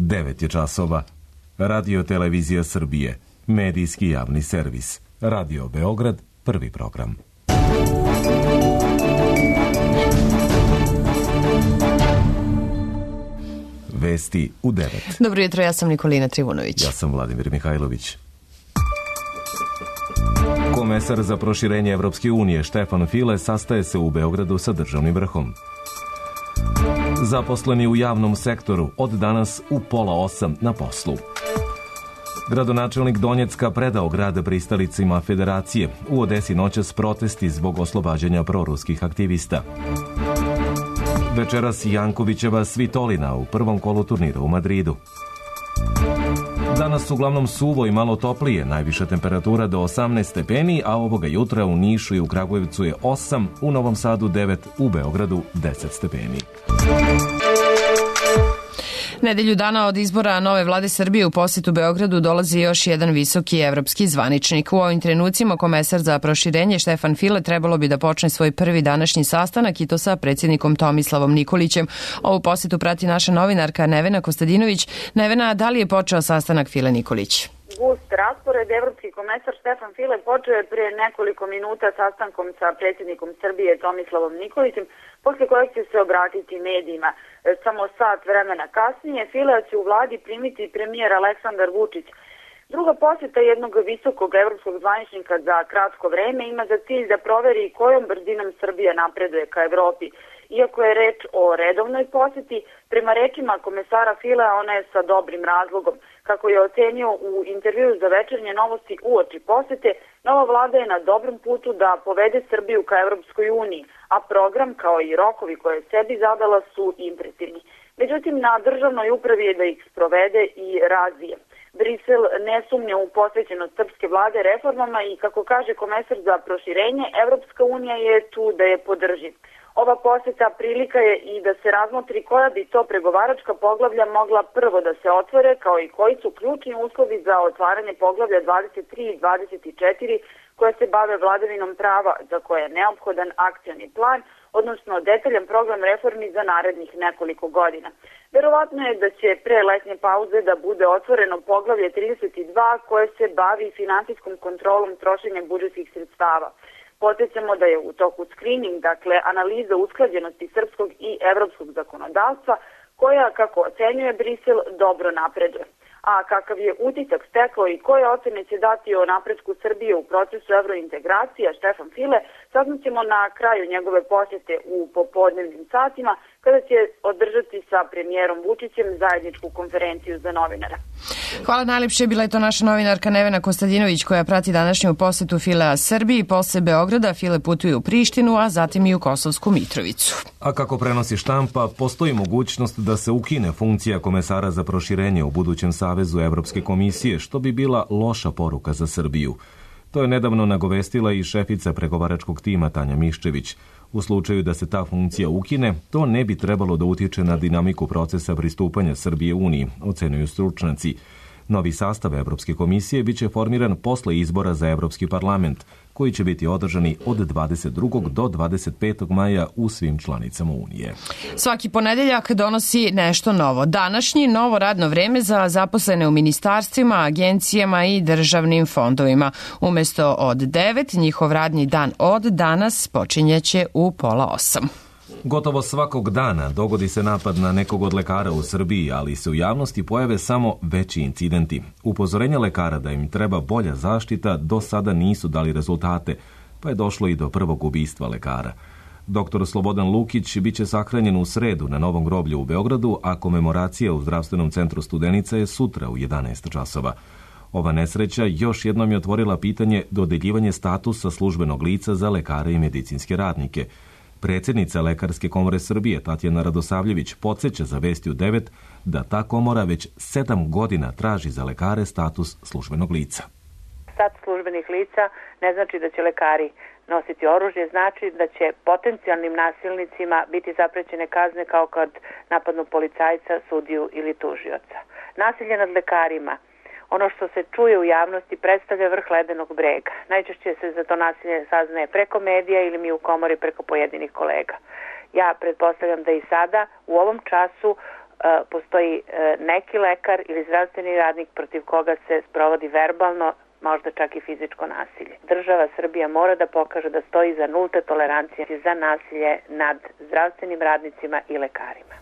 9 je časova. Radio Televizija Srbije, medijski javni servis. Radio Beograd, prvi program. Vesti u 9. Dobro jutro, ja sam Nikolina Trivunović. Ja sam Vladimir Mihajlović. Komesar za proširenje Evropske unije Štefan File sastaje se u Beogradu sa državnim vrhom. Zaposleni u javnom sektoru od danas u 7:30 na poslu. Gradonačelnik Donjecka predao grad pristalicima Federacije. U Odesi noćas protesti zbog oslobađanja proruskih aktivista. Večeras Jankovićeva Svitolina u prvom kolu turnira u Madridu. Danas uglavnom suvo i malo toplije, najviša temperatura do 18 stepeni, a ovoga jutra u Nišu i u Kragujevcu je 8, u Novom Sadu 9, u Beogradu 10 stepeni. Nedelju dana od izbora nove vlade Srbije u posetu Beogradu dolazi još jedan visoki evropski zvaničnik. U ovim trenucima komesar za proširenje Štefan File trebalo bi da počne svoj prvi današnji sastanak i to sa predsjednikom Tomislavom Nikolićem. Ovu posetu prati naša novinarka Nevena Kostadinović. Nevena, da li je počeo sastanak File Nikolić? Gust raspored. Evropski komesar Štefan File počeo je prije nekoliko minuta sastankom sa predsjednikom Srbije Tomislavom Nikolićem, posle kojeg će se obratiti medijima. Samo sat vremena kasnije File će u vladi primiti premijer Aleksandar Vučić. Druga posjeta jednog visokog evropskog zvaničnika za kratko vreme ima za cilj da proveri kojom brzinom Srbija napreduje ka Evropi. Iako je reč o redovnoj posjeti, prema rečima komesara Filea ona je sa dobrim razlogom. Kako je ocenio u intervju za Večernje novosti uoči posete, nova vlada je na dobrom putu da povede Srbiju ka Evropskoj uniji, a program kao i rokovi koje je sebi zadala su impresivni. Međutim, na državnoj upravi je da ih sprovede i razvije. Brisel ne sumnja u posvećenost srpske vlade reformama i, kako kaže komesar za proširenje, Evropska unija je tu da je podrži. Ova posjeta prilika je i da se razmotri koja bi to pregovaračka poglavlja mogla prvo da se otvore, kao i koji su ključni uslovi za otvaranje poglavlja 23 i 24 koja se bave vladavinom prava, za koje je neophodan akcioni plan, odnosno detaljan program reformi za narednih nekoliko godina. Verovatno je da će pre letnje pauze da bude otvoreno poglavlje 32 koje se bavi finansijskom kontrolom trošenja budžetskih sredstava. Podsjećamo da je u toku screening, dakle analiza usklađenosti srpskog i evropskog zakonodavstva, koja, kako ocenjuje Brisel, dobro napreduje. A kakav je utisak stekao i koje ocene će dati o napretku Srbije u procesu evrointegracija Štefan File, saznaćemo na kraju njegove posjete u popodnevnim satima, kada će održati sa premijerom Vučićem zajedničku konferenciju za novinara. Hvala najlepše, bila je to naša novinarka Nevena Kostadinović koja prati današnju posetu Filea Srbiji. Posle Beograda File putuje u Prištinu, a zatim i u Kosovsku Mitrovicu. A kako prenosi štampa, postoji mogućnost da se ukine funkcija komesara za proširenje u budućem savezu Evropske komisije, što bi bila loša poruka za Srbiju. To je nedavno nagovestila i šefica pregovaračkog tima Tanja Miščević. U slučaju da se ta funkcija ukine, to ne bi trebalo da utiče na dinamiku procesa pristupanja Srbije Uniji, ocenuju stručnjaci. Novi sastav Evropske komisije biće formiran posle izbora za Evropski parlament, koji će biti održani od 22. do 25. maja u svim članicama Unije. Svaki ponedeljak donosi nešto novo. Današnji novo radno vreme za zaposlene u ministarstvima, agencijama i državnim fondovima. Umesto od 9, njihov radni dan od danas počinjeće u 7:30. Gotovo svakog dana dogodi se napad na nekog od lekara u Srbiji, ali se u javnosti pojave samo veći incidenti. Upozorenja lekara da im treba bolja zaštita do sada nisu dali rezultate, pa je došlo i do prvog ubistva lekara. Dr. Slobodan Lukić biće sahranjen u sredu na Novom groblju u Beogradu, a komemoracija u Zdravstvenom centru Studenica je sutra u 11 časova. Ova nesreća još jednom je otvorila pitanje dodeljivanje statusa službenog lica za lekare i medicinske radnike. Predsjednica Lekarske komore Srbije Tatjana Radosavljević podsjeća za Vesti u 9 da ta komora već 7 godina traži za lekare status službenog lica. Status službenih lica ne znači da će lekari nositi oružje, znači da će potencijalnim nasilnicima biti zaprećene kazne kao kad napadnu policajca, sudiju ili tužioca. Nasilje nad lekarima, ono što se čuje u javnosti, predstavlja vrh ledenog brega. Najčešće se za to nasilje saznaje preko medija ili mi u komori preko pojedinih kolega. Ja pretpostavljam da i sada u ovom času postoji neki lekar ili zdravstveni radnik protiv koga se sprovodi verbalno, možda čak i fizičko nasilje. Država Srbija mora da pokaže da stoji za nulte tolerancije za nasilje nad zdravstvenim radnicima i lekarima.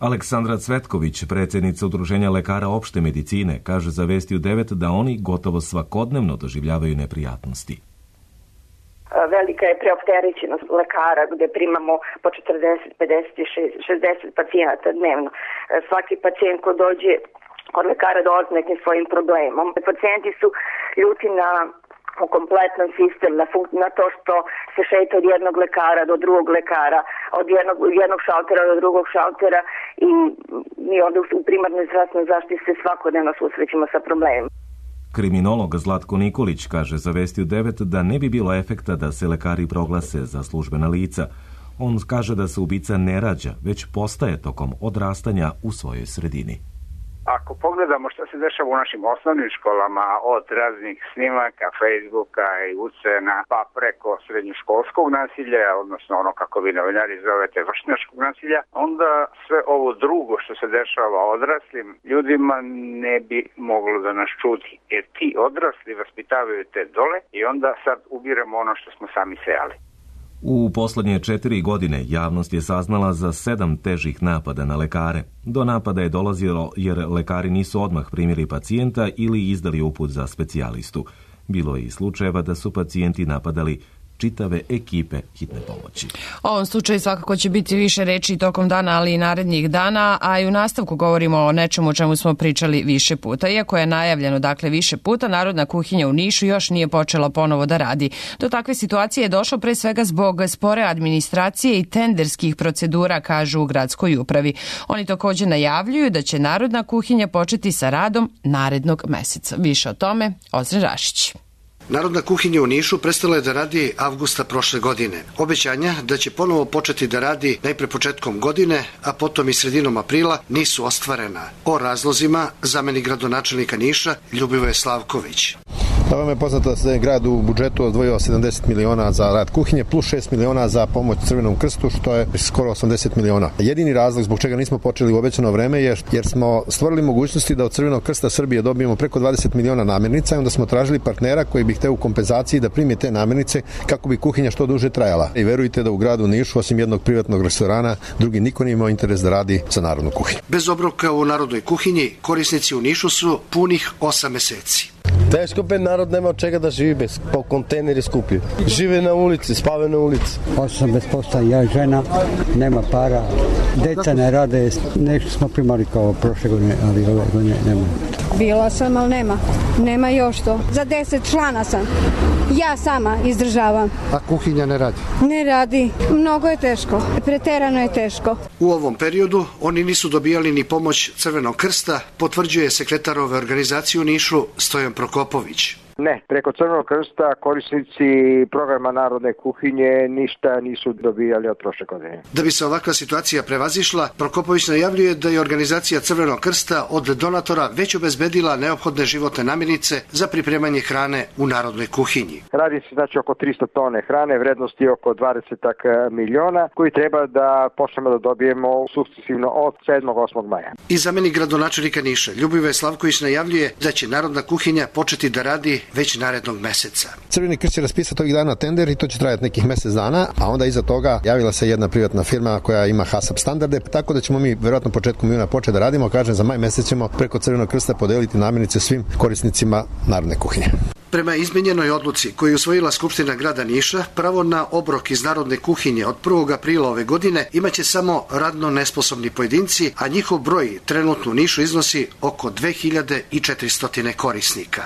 Aleksandra Cvetković, predsjednica Udruženja lekara opšte medicine, kaže za Vesti u 9 da oni gotovo svakodnevno doživljavaju neprijatnosti. Velika je preopterećenost lekara gdje primamo po 40, 50, 60 pacijenata dnevno. Svaki pacijent ko dođe kod lekara dolazi nekim svojim problemom. Pacijenti su ljuti na kompletan sistem, na to što se šeta od jednog lekara do drugog lekara, od jednog šaltera do drugog šaltera i mi onda u primarnoj zdravstvenoj zaštiti se svakodnevno susrećemo sa problemima. Kriminolog Zlatko Nikolić kaže za Vesti u 9 da ne bi bilo efekta da se lekari proglase za službena lica. On kaže da se ubica ne rađa, već postaje tokom odrastanja u svojoj sredini. Ako pogledamo što se dešava u našim osnovnim školama, od raznih snimaka, Facebooka i ucena, pa preko srednjoškolskog nasilja, odnosno ono kako vi novinari zovete vršnjačkog nasilja, onda sve ovo drugo što se dešava odraslim ljudima ne bi moglo da nas čudi. Jer ti odrasli vaspitavaju te dole i onda sad ubiramo ono što smo sami sejali. U poslednje 4 godine javnost je saznala za 7 težih napada na lekare. Do napada je dolazilo jer lekari nisu odmah primili pacijenta ili izdali uput za specijalistu. Bilo je i slučajeva da su pacijenti napadali čitave ekipe hitne pomoći. O ovom slučaju svakako će biti više reči tokom dana, ali i narednih dana, a i u nastavku govorimo o nečemu o čemu smo pričali više puta. Iako je najavljeno više puta, Narodna kuhinja u Nišu još nije počela ponovo da radi. Do takve situacije je došlo pre svega zbog spore administracije i tenderskih procedura, kažu u gradskoj upravi. Oni također najavljuju da će Narodna kuhinja početi sa radom narednog meseca. Više o tome, Ozren Rašić. Narodna kuhinja u Nišu prestala je da radi avgusta prošle godine. Obećanja da će ponovo početi da radi najpre početkom godine, a potom i sredinom aprila nisu ostvarena. O razlozima zamenik gradonačelnika Niša Ljubivoje Slavković. Da vam je poznato da se grad u budžetu odvojio 70 miliona za rad kuhinje plus 6 miliona za pomoć Crvenom krstu, što je skoro 80 miliona. Jedini razlog zbog čega nismo počeli u obećano vreme je jer smo stvorili mogućnosti da od Crvenog krsta Srbije dobijemo preko 20 miliona namirnica i onda smo tražili partnera koji bi hteo u kompenzaciji da primi te namirnice kako bi kuhinja što duže trajala. I verujte da u gradu Nišu, osim jednog privatnog restorana, drugi niko nije imao interes da radi za Narodnu kuhinju. Bez obroka u Narodnoj kuhinji korisnici u Nišu su punih 8 meseci. Teško pe narod nema od čega da živi bez po kontejneri skuplji. Žive na ulici, spave na ulici. 8 bez posla, ja žena, nema para, deca ne rade, nešto smo primali kao prošle godine, ali ove godine nema. Bila sam, ali nema još to. Za 10 člana sam. Ja sama izdržavam. A kuhinja ne radi? Ne radi. Mnogo je teško. Preterano je teško. U ovom periodu oni nisu dobijali ni pomoć Crvenog krsta, potvrđuje sekretar ove organizacije u Nišu Stojan Prokopović. Ne, preko Crvenog krsta korisnici programa Narodne kuhinje ništa nisu dobijali od prošle godine. Da bi se ovakva situacija prevazišla, Prokopović najavljuje da je organizacija Crvenog krsta od donatora već obezbedila neophodne životne namirnice za pripremanje hrane u Narodnoj kuhinji. Radi se znači oko 300 tone hrane, vrednosti oko 20 miliona, koji treba da počnemo da dobijemo sukcesivno od 7. 8. maja. I zamenik gradonačelnika Niša Ljubivoje Slavković najavljuje da će Narodna kuhinja početi da radi već narednog meseca. Crveni krst će raspisati ovih dana tender i to će trajati nekih mesec dana, a onda iza toga javila se jedna privatna firma koja ima HASAP standarde, tako da ćemo mi verovatno početkom juna početi da radimo, kažem za maj mesec ćemo preko Crvenog krsta podeliti namirnice svim korisnicima Narodne kuhinje. Prema izmenjenoj odluci koju je usvojila Skupština grada Niša, pravo na obrok iz Narodne kuhinje od 1. aprila ove godine imaće samo radno nesposobni pojedinci, a njihov broj trenutno u Nišu iznosi oko 2400 korisnika.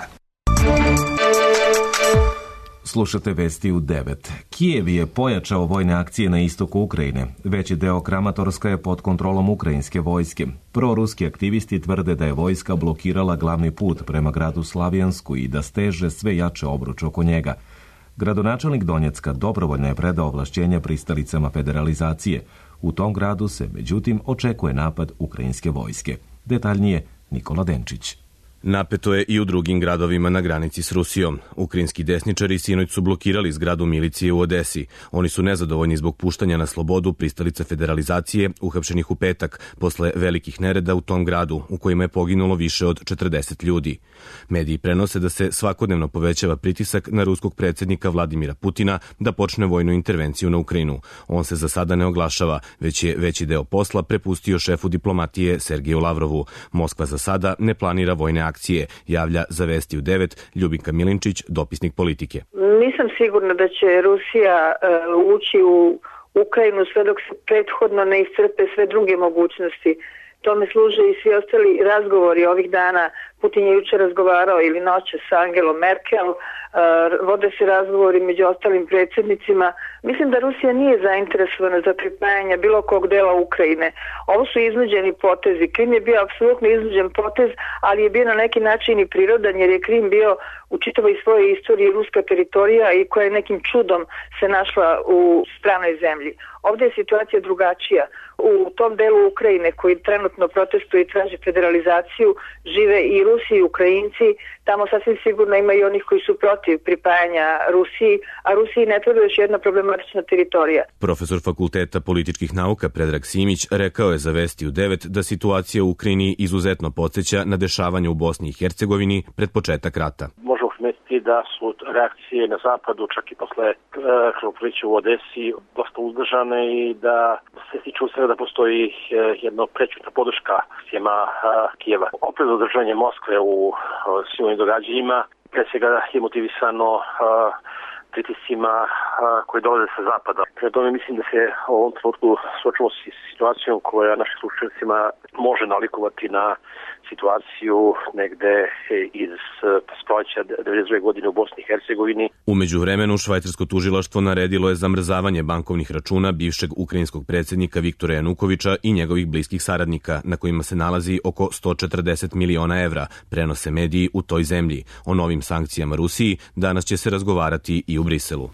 Slušate Vesti u 9. Kijev je pojačao vojne akcije na istoku Ukrajine. Veći deo Kramatorska je pod kontrolom ukrajinske vojske. Proruski aktivisti tvrde da je vojska blokirala glavni put prema gradu Slavijansku i da steže sve jače obruč oko njega. Gradonačelnik Donjecka dobrovoljno je predao ovlašćenja pristalicama federalizacije. U tom gradu se, međutim, očekuje napad ukrajinske vojske. Detaljnije Nikola Denčić. Napeto je i u drugim gradovima na granici s Rusijom. Ukrajinski desničari sinoć su blokirali zgradu milicije u Odesi. Oni su nezadovoljni zbog puštanja na slobodu pristalica federalizacije uhapšenih u petak posle velikih nereda u tom gradu u kojima je poginulo više od 40 ljudi. Mediji prenose da se svakodnevno povećava pritisak na ruskog predsjednika Vladimira Putina da počne vojnu intervenciju na Ukrajinu. On se za sada ne oglašava, već je veći deo posla prepustio šefu diplomatije Sergeju Lavrovu. Moskva za sada ne planira vojne akcije, javlja za Vesti u 9 Ljubinka Milinčić, dopisnik Politike. Nisam sigurna da će Rusija ući u Ukrajinu sve dok se prethodno ne iscrpe sve druge mogućnosti. Tome služe i svi ostali razgovori ovih dana. Putin je juče razgovarao ili noće sa Angelom Merkel, vode se razgovori među ostalim predsjednicima. Mislim da Rusija nije zainteresovana za pripajanje bilo kog dela Ukrajine. Ovo su iznuđeni potezi. Krim je bio apsolutno iznuđen potez, ali je bio na neki način i prirodan, jer je Krim bio u čitavoj svojoj istoriji ruska teritorija i koja je nekim čudom se našla u stranoj zemlji. Ovdje je situacija drugačija. U tom delu Ukrajine koji trenutno protestuje i traži federalizaciju žive i Rusi i Ukrajinci. Tamo sasvim sigurno ima i onih koji su protiv pripajanja Rusiji, a Rusiji ne treba još jedna problematična teritorija. Profesor Fakulteta političkih nauka Predrag Simić rekao je za Vesti u 9 da situacija u Ukrajini izuzetno podsjeća na dešavanje u Bosni i Hercegovini pred početak rata. Možemo primetiti da su reakcije na zapadu, čak i posle krvoprolića u Odesi, dosta uzdržane i da se tiče u svega da postoji jedna prećutna podrška sjema Kijeva. Opet zadržanje Moskve u svim ovim događanjima, pre svega je motivisano pritiscima koji dolaze sa zapada. Prema tome mislim da se u ovom trenutku suočimo s situacijom koja našim slušateljcima može nalikovati na situaciju negde iz proleća 92. godine u Bosni i Hercegovini. U međuvremenu švajcarsko tužilaštvo naredilo je zamrzavanje bankovnih računa bivšeg ukrajinskog predsjednika Viktora Janukoviča i njegovih bliskih saradnika, na kojima se nalazi oko 140 miliona evra, prenose mediji u toj zemlji. O novim sankcijama Rusiji danas će se razgovarati i u Briselu.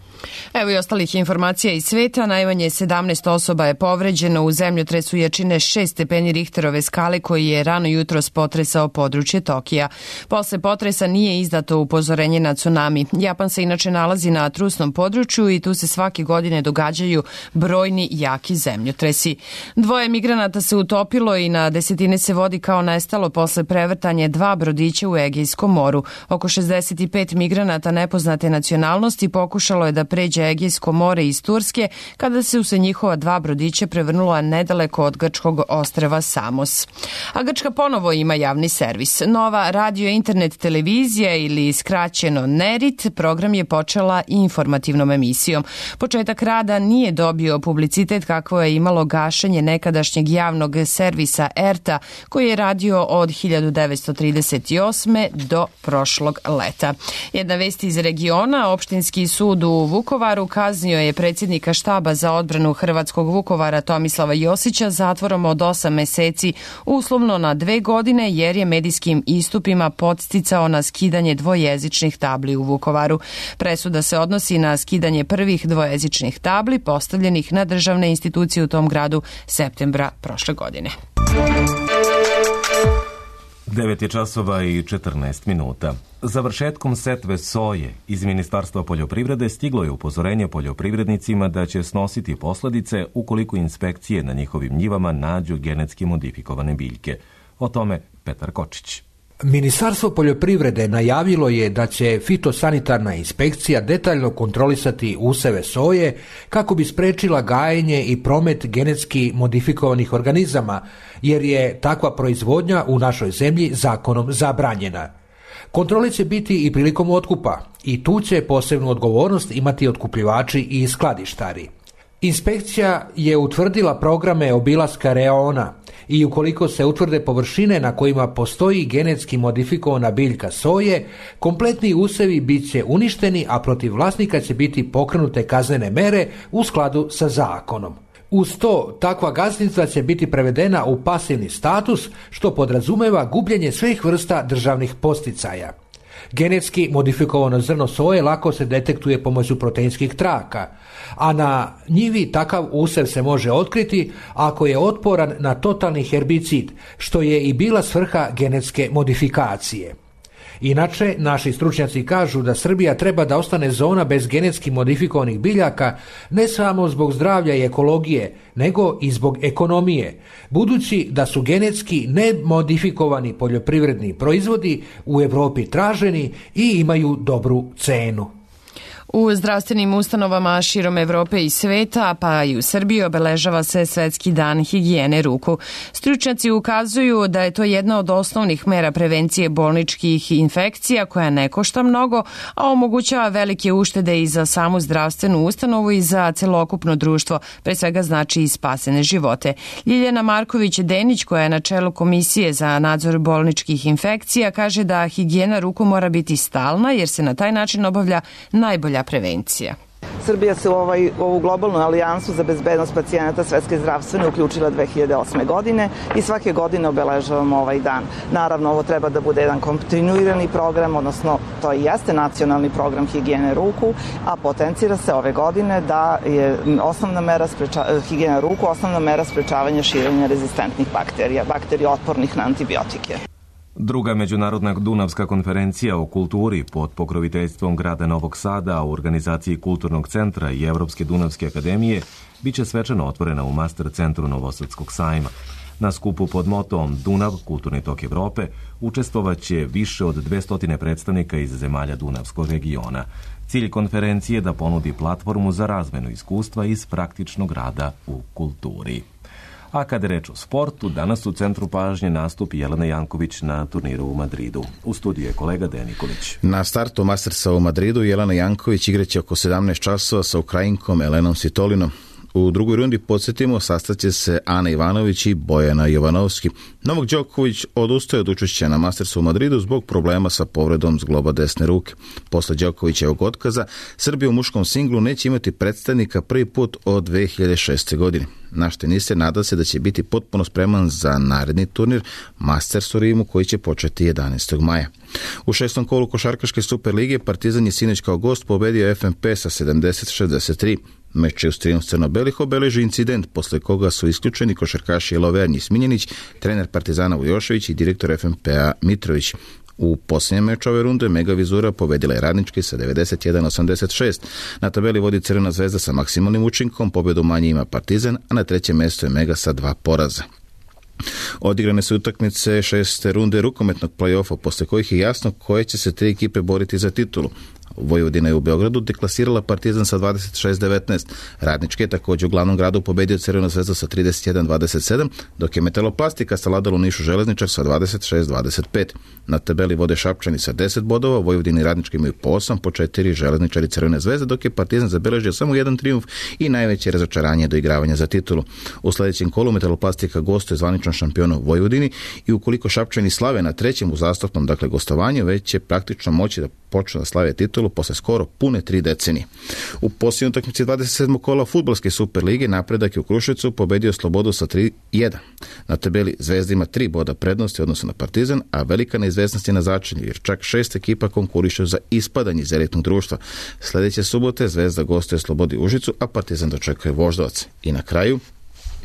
Evo i ostalih informacija iz sveta. Najmanje 17 osoba je povređeno u zemljotresu jačine 6 stepeni Richterove skale koji je rano jutros potresao područje Tokija. Posle potresa nije izdato upozorenje na tsunami. Japan se inače nalazi na trusnom području i tu se svake godine događaju brojni jaki zemljotresi. 2 migranata se utopilo i na desetine se vodi kao nestalo posle prevrtanja 2 brodića u Egejskom moru. Oko 65 migranata nepoznate nacionalnosti pokušalo je da pređe Egejsko more iz Turske kada su se njihova 2 brodića prevrnula nedaleko od grčkog ostrva Samos. A Grčka ponovo ima javni servis. Nova radio internet televizija ili skraćeno NERIT program je počela informativnom emisijom. Početak rada nije dobio publicitet kakvo je imalo gašenje nekadašnjeg javnog servisa ERTA koji je radio od 1938. do prošlog leta. Jedna vest iz regiona, opštinski sud u Vukovaru kaznio je predsjednika štaba za odbranu hrvatskog Vukovara Tomislava Josića zatvorom od 8 meseci, uslovno na 2 godine jer je medijskim istupima podsticao na skidanje dvojezičnih tabli u Vukovaru. Presuda se odnosi na skidanje prvih dvojezičnih tabli postavljenih na državne institucije u tom gradu septembra prošle godine. 9:14. Završetkom setve soje iz Ministarstva poljoprivrede stiglo je upozorenje poljoprivrednicima da će snositi posljedice ukoliko inspekcije na njihovim njivama nađu genetski modifikovane biljke. O tome Petar Kočić. Ministarstvo poljoprivrede najavilo je da će fitosanitarna inspekcija detaljno kontrolisati useve soje kako bi sprečila gajenje i promet genetski modifikovanih organizama, jer je takva proizvodnja u našoj zemlji zakonom zabranjena. Kontrole će biti i prilikom otkupa i tu će posebnu odgovornost imati otkupljivači i skladištari. Inspekcija je utvrdila programe obilaska reona i ukoliko se utvrde površine na kojima postoji genetski modifikovana biljka soje, kompletni usevi bit će uništeni, a protiv vlasnika će biti pokrenute kaznene mere u skladu sa zakonom. Uz to, takva gazdinstva će biti prevedena u pasivni status, što podrazumeva gubljenje svih vrsta državnih posticaja. Genetski modifikovano zrno soje lako se detektuje pomoću proteinskih traka, a na njivi takav usev se može otkriti ako je otporan na totalni herbicid, što je i bila svrha genetske modifikacije. Inače, naši stručnjaci kažu da Srbija treba da ostane zona bez genetski modifikovanih biljaka ne samo zbog zdravlja i ekologije, nego i zbog ekonomije, budući da su genetski nemodifikovani poljoprivredni proizvodi u Evropi traženi i imaju dobru cenu. U zdravstvenim ustanovama širom Evrope i sveta, pa i u Srbiji, obeležava se Svetski dan higijene ruku. Stručnjaci ukazuju da je to jedna od osnovnih mera prevencije bolničkih infekcija koja ne košta mnogo, a omogućava velike uštede i za samu zdravstvenu ustanovu i za celokupno društvo, pre svega znači i spasene živote. Ljiljana Marković-Denić, koja je na čelu Komisije za nadzor bolničkih infekcija, kaže da higijena ruku mora biti stalna jer se na taj način obavlja najbolja prevencija. Srbija se u ovu globalnu alijansu za bezbednost pacijenata Svetske zdravstvene uključila 2008. godine i svake godine obeležavamo ovaj dan. Naravno, ovo treba da bude jedan kontinuirani program, odnosno to i jeste nacionalni program higijene ruku, a potencira se ove godine da je osnovna mera higijena ruku, osnovna mera sprečavanja širenja rezistentnih bakterija otpornih na antibiotike. Druga međunarodna Dunavska konferencija o kulturi pod pokroviteljstvom grada Novog Sada u organizaciji Kulturnog centra i Evropske Dunavske akademije biće svečano otvorena u Master centru Novosadskog sajma. Na skupu pod motom Dunav, kulturni tok Evrope, učestvovaće više od 200 predstavnika iz zemalja Dunavskog regiona. Cilj konferencije je da ponudi platformu za razmenu iskustva iz praktičnog rada u kulturi. A kada je reč o sportu, danas u centru pažnje nastup Jelena Janković na turniru u Madridu. U studiju je kolega Dejan Nikolić. Na startu Mastersa u Madridu Jelena Janković igraće oko 17 časova sa Ukrajinkom Elenom Sitolinom. U drugoj rundi, podsjetimo, sastaće se Ana Ivanović i Bojana Jovanovski. Novak Đoković odustaje od učešća na Mastersu u Madridu zbog problema sa povredom zgloba desne ruke. Posle Đokovićevog otkaza, Srbija u muškom singlu neće imati predstavnika prvi put od 2006. godine. Naš teniser nada se da će biti potpuno spreman za naredni turnir Masters u Rimu koji će početi 11. maja. U 6. kolu košarkaške Superlige Partizan je sinoć kao gost pobedio FNP sa 70-63. Meč je uz trijumf crno-belih obeleži incident posle koga su isključeni košarkaši Lovernji Smiljanić, trener Partizana Vujošević i direktor FNP-a Mitrović. U posljednjem meču ove runde Mega Vizura pobedila je Radnički sa 91-86. Na tabeli vodi Crvena zvezda sa maksimalnim učinkom, pobedu manje ima Partizan, a na trećem mjestu je Mega sa 2 poraza. Odigrane su utakmice 6. runde rukometnog play-offa, posle kojih je jasno koje će se 3 ekipe boriti za titulu. Vojvodina je u Beogradu deklasirala Partizan sa 26-19. Radnički je također u glavnom gradu pobedio Crvenu zvezdu sa 31-27, dok je Metaloplastika savladala u Nišu Železničar sa 26-25. Na tabeli vode Šapčani sa 10 bodova, Vojvodina i Radnički imaju po 8, po 4 Železničari Crvene zvezde, dok je Partizan zabeležio samo jedan trijumf i najveće razočaranje do igravanja za titulu. U sljedećem kolu Metaloplastika gostuje zvaničnom šampionu Vojvodini i ukoliko Šapčani slave na trećem uzastopnom, dakle gostovanju, već će praktično moći da počnu da slave titulu posle skoro pune 3 decenije. U posljednjoj utakmici 27. kola fudbalske Superlige Napredak je u Kruševcu pobedio Slobodu sa 3-1. Na tabeli Zvezda ima 3 boda prednosti odnosno na Partizan, a velika neizvesnost je na začelju jer čak 6 ekipa konkurišu za ispadanje iz elitnog društva. Sljedeće subote Zvezda gostuje Slobodi Užicu, a Partizan dočekuje Voždovac. I na kraju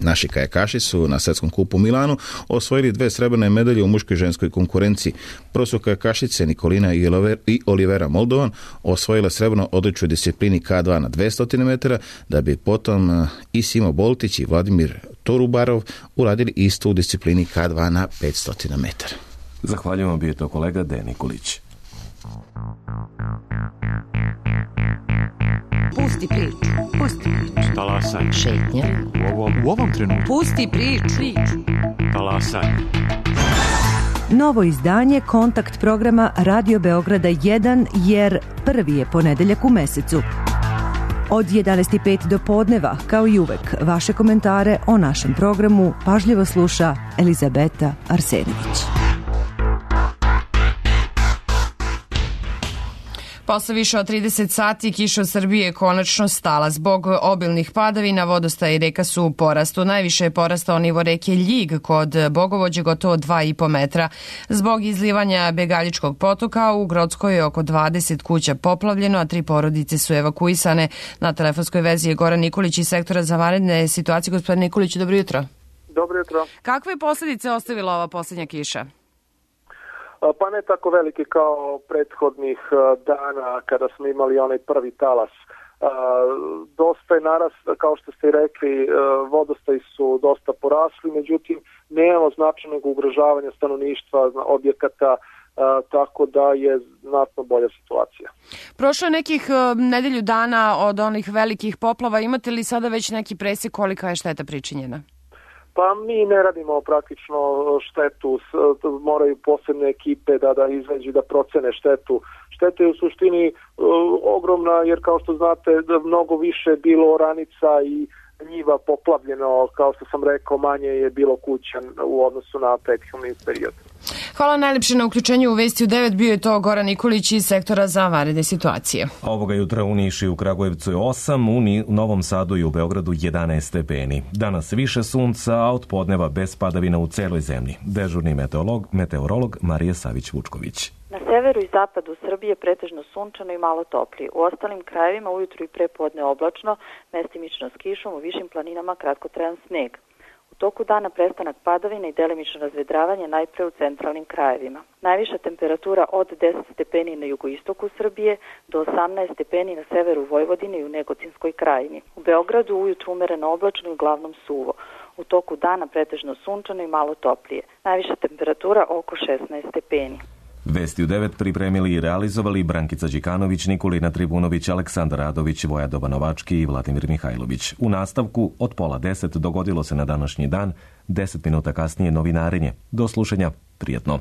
naši kajakaši su na svetskom kupu u Milanu osvojili 2 srebrne medalje u muškoj i ženskoj konkurenciji. Prvo su kajakašice Nikolina i Olivera Moldovan osvojile srebrno odličju disciplini K2 na 200 metara, da bi potom i Simo Boltić i Vladimir Torubarov uradili isto u disciplini K2 na 500 metara. Zahvaljujemo, bio je to kolega Dejan Nikolić. Pusti priču. Pusti priču. Talasaj. Šetnja. U ovom trenutku. Pusti priču. Talasaj. Novo izdanje Kontakt programa Radio Beograda 1, jer prvi je ponedeljak u mesecu. Od 11:05 do podneva, kao i uvek, vaše komentare o našem programu pažljivo sluša Elizabeta Arsenović. Posle više od 30 sati kiša u Srbiji je konačno stala. Zbog obilnih padavina vodostaj reka su u porastu. Najviše je porastao nivo reke Ljig kod Bogovođe gotovo 2,5 metra. Zbog izlivanja Begaljičkog potoka u Grockoj je oko 20 kuća poplavljeno, a 3 porodice su evakuisane. Na telefonskoj vezi je Goran Nikolić iz sektora za vanredne situacije. Gospodin Nikolić, dobro jutro. Dobro jutro. Kakve posljedice ostavila ova posljednja kiša? Pa ne tako velike kao prethodnih dana kada smo imali onaj prvi talas. Dosta je kao što ste rekli, vodostaji su dosta porasli, međutim nemamo značajnog ugrožavanja stanovništva, objekata, tako da je znatno bolja situacija. Prošlo je nekih nedelju dana od onih velikih poplava. Imate li sada već neki presjek kolika je šteta pričinjena? Pa mi ne radimo praktično štetu, moraju posebne ekipe da izađu da procene štetu. Šteta je u suštini ogromna jer kao što znate mnogo više je bilo oranica i njiva poplavljeno, kao što sam rekao manje je bilo kuća u odnosu na prethodni period. Hvala najlepše na uključenju u Vesti u 9. Bio je to Goran Nikolić iz sektora za vanredne situacije. Ovoga jutra u Nišu i u Kragujevcu je 8, u Novom Sadu i u Beogradu 11 stepeni. Danas više sunca, a od podneva bez padavina u celoj zemlji. Dežurni meteorolog Marija Savić-Vučković. Na severu i zapadu Srbije pretežno sunčano i malo toplije. U ostalim krajevima ujutru i prepodne oblačno, mestimično s kišom, u višim planinama kratkotrajan sneg. U toku dana prestanak padavina i delimično razvedravanje najpre u centralnim krajevima. Najviša temperatura od 10 stepeni na jugoistoku Srbije do 18 stepeni na severu Vojvodine i u Negotinskoj krajini. U Beogradu ujutru umereno oblačno i uglavnom suvo. U toku dana pretežno sunčano i malo toplije. Najviša temperatura oko 16 stepeni. Vesti u 9 pripremili i realizovali Brankica Đikanović, Nikolina Tribunović, Aleksandar Radović, Voja Dobanovački i Vladimir Mihajlović. U nastavku od 9:30 dogodilo se na današnji dan, 10 minuta kasnije novinarenje. Do slušanja, prijetno.